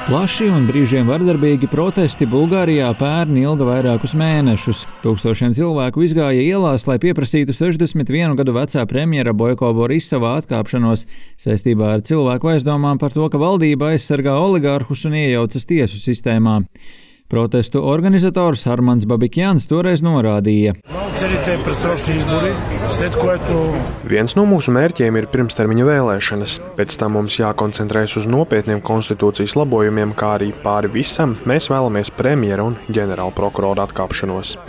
Plaši un brīžiem vardarbīgi protesti Bulgārijā pērn ilga vairākus mēnešus. Tūkstošiem cilvēku izgāja ielās, lai pieprasītu 61 gadu vecā premjera Bojko Borisova atkāpšanos saistībā ar cilvēku aizdomām par to, ka valdība aizsargā oligārhus un iejaucas tiesu sistēmā. Protestu organizators Armands Babikjans toreiz norādīja. Viens no mūsu mērķiem ir pirmstermiņa vēlēšanas. Pēc tam mums jākoncentrējas uz nopietniem konstitūcijas labojumiem, kā arī pāri visam mēs vēlamies premjera un ģenerāla prokurora atkāpšanos.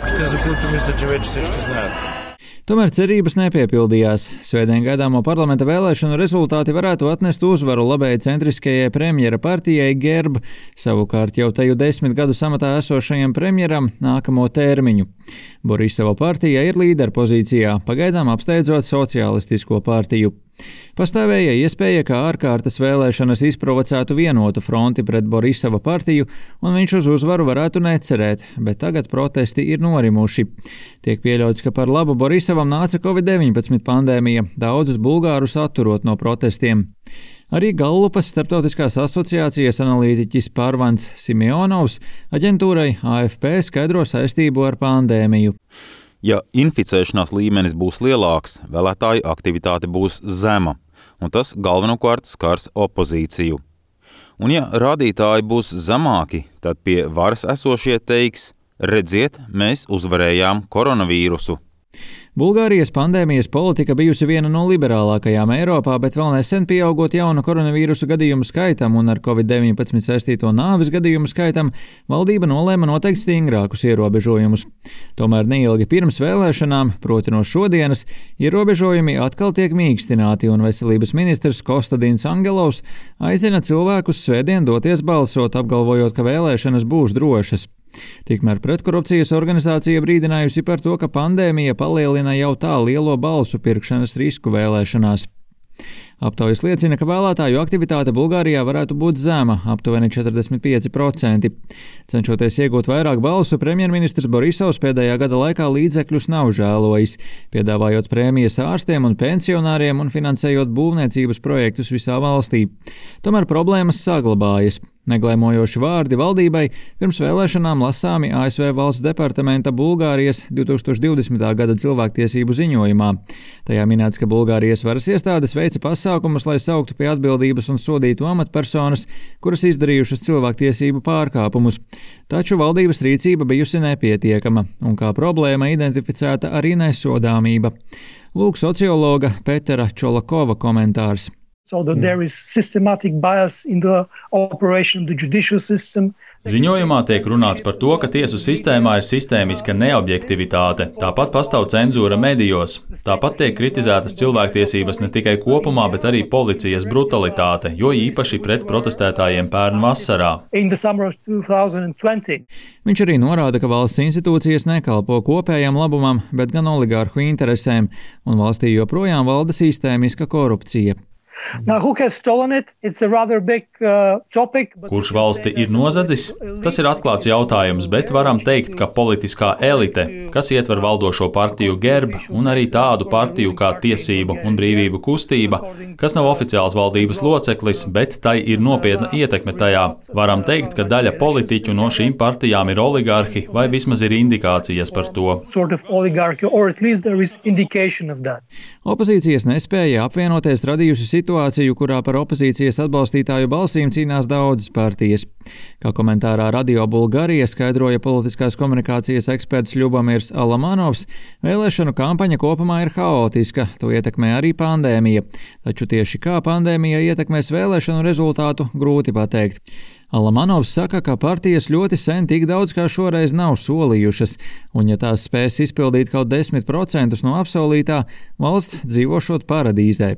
Tomēr cerības nepiepildījās. Svētdien gaidāmo parlamenta vēlēšanu rezultāti varētu atnest uzvaru labēji centriskajai premjera partijai GERB, savukārt jau teju 10 gadu amatā esošajam premjeram nākamo termiņu. Borisova partija ir līderpozīcijā, pagaidām apsteidzot sociālistisko partiju. Pastāvēja iespēja, ka ārkārtas vēlēšanas izprovocētu vienotu fronti pret Borisova partiju, un viņš uz uzvaru varētu necerēt, bet tagad protesti ir norimuši. Tiek pieļauts, ka par labu Borisovam nāca Covid-19 pandēmija, daudzus bulgārus atturot no protestiem. Arī Gallupas starptautiskās asociācijas analītiķis Pārvans Simjonovs aģentūrai AFP skaidro saistību ar pandēmiju. Ja inficēšanās līmenis būs lielāks, vēlētāju aktivitāte būs zema, un tas galvenokārt skars opozīciju. Un ja rādītāji būs zemāki, tad pie varas esošie teiks: redziet, mēs uzvarējām koronavīrusu. Bulgārijas pandēmijas politika bijusi viena no liberālākajām Eiropā, bet vēl nesen pieaugot jaunu koronavīrusu gadījumu skaitam un ar Covid-19 saistīto nāves gadījumu skaitam, valdība nolēma noteikt stingrākus ierobežojumus. Tomēr neilgi pirms vēlēšanām, proti no šodienas, ierobežojumi atkal tiek mīkstināti, un veselības ministrs Kostadins Angelovs aicina cilvēkus svētdien doties balsot, apgalvojot, ka vēlēšanas būs drošas. Tikmēr pretkorupcijas organizācija brīdinājusi par to, ka pandēmija palielina jau tā lielo balsu pirkšanas risku vēlēšanās. Aptaujas liecina, ka vēlētāju aktivitāte Bulgārijā varētu būt zema, aptuveni 45%. Cenšoties iegūt vairāk balsu, premjerministrs Borisovs pēdējā gada laikā līdzekļus nav žēlojis, piedāvājot prēmijas ārstiem un pensionāriem un finansējot būvniecības projektus visā valstī. Tomēr problēmas saglabājas. Neglēmojoši vārdi valdībai pirms vēlēšanām lasāmi ASV valsts departamenta Bulgārijas 2020. gada cilvēktiesību ziņojumā. Tajā minēts, ka Bulgārijas varas iestādes veica pasākumus, lai sauktu pie atbildības un sodītu amatpersonas, kuras izdarījušas cilvēktiesību pārkāpumus. Taču valdības rīcība bijusi nepietiekama, un kā problēma identificēta arī nesodāmība. Lūk sociologa Petera Čolakova komentārs. So that there is systematic bias in the operation of the judicial system. Ziņojumā tiek runāts par to, ka tiesu sistēmā ir sistēmiska neobjektivitāte, tāpat pastāv cenzūra medijos, tāpat tiek kritizētas cilvēktiesības ne tikai kopumā, bet arī policijas brutalitāte, jo īpaši pret protestētājiem pērn vasarā. Viņš arī norāda, ka valsts institūcijas nekalpo kopējam labumam, bet gan oligārhu interesēm, un valstī joprojām valda sistēmiska korupcija. Now, who has stolen it? It's a rather big topic. Kurš valsti ir nozadzis? Tas ir atklāts jautājums, bet varam teikt, ka politiskā elite, kas ietver valdošo partiju GERB un arī tādu partiju kā Tiesību un brīvību kustība, kas nav oficiāls valdības loceklis, bet tai ir nopietna ietekme tajā. Varam teikt, ka daļa politiķu no šīm partijām ir oligārhi vai vismaz ir indikācijas par to. Opozīcijas nespēja apvienoties radījusi situāciju, kurā par opozīcijas atbalstītāju balsīm cīnās daudzas partijas. Kā komentārā Radio Bulgārija skaidroja politiskās komunikācijas eksperts Ļubamirs Alamanovs, vēlēšanu kampaņa kopumā ir haotiska, to ietekmē arī pandēmija. Taču tieši kā pandēmija ietekmēs vēlēšanu rezultātu, grūti pateikt. Alamanovs saka, ka partijas ļoti sen tik daudz kā šoreiz nav solījušas, un ja tās spēs izpildīt kaut 10% no apsolītā, valsts dzīvošot paradīzē.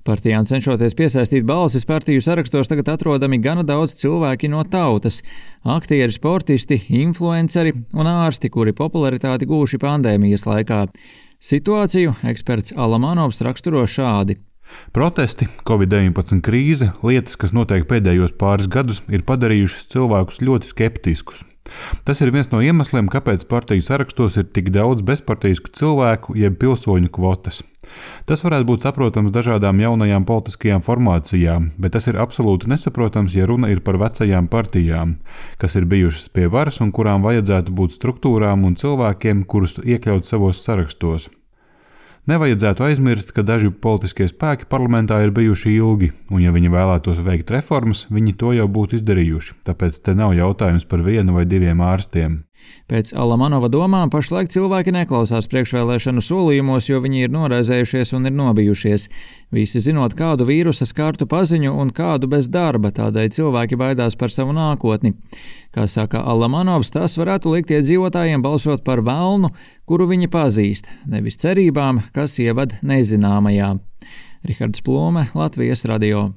Partijām cenšoties piesaistīt balsis, partiju sarakstos tagad atrodami gana daudz cilvēki no tautas – aktieri, sportisti, influenceri un ārsti, kuri popularitāti gūši pandēmijas laikā. Situāciju eksperts Alamanovs raksturo šādi. Protesti, Covid-19 krīze, lietas, kas notiek pēdējos pāris gadus, ir padarījušas cilvēkus ļoti skeptiskus. Tas ir viens no iemesliem, kāpēc partiju sarakstos ir tik daudz bezpartijisku cilvēku, jeb pilsoņu kvotas. Tas varētu būt saprotams dažādām jaunajām politiskajām formācijām, bet tas ir absolūti nesaprotams, ja runa ir par vecajām partijām, kas ir bijušas pie varas un kurām vajadzētu būt struktūrām un cilvēkiem, kurus iekļaut savos sarakstos. Nevajadzētu aizmirst, ka daži politiskie spēki parlamentā ir bijuši ilgi, un ja viņi vēlētos veikt reformas, viņi to jau būtu izdarījuši, tāpēc te nav jautājums par 1 vai 2 ārstiem. Pēc Alamanova domām pašlaik cilvēki neklausās priekšvēlēšanu solījumos, jo viņi ir noraizējušies un ir nobijušies. Visi zinot, kādu vīrusa skartu paziņu un kādu bez darba, tādēļ cilvēki baidās par savu nākotni. Kā saka Alamanovs, tas varētu likt iedzīvotājiem balsot par velnu, kuru viņi pazīst, nevis cerībām, kas ievad nezināmajā. Rihards Plome, Latvijas radio.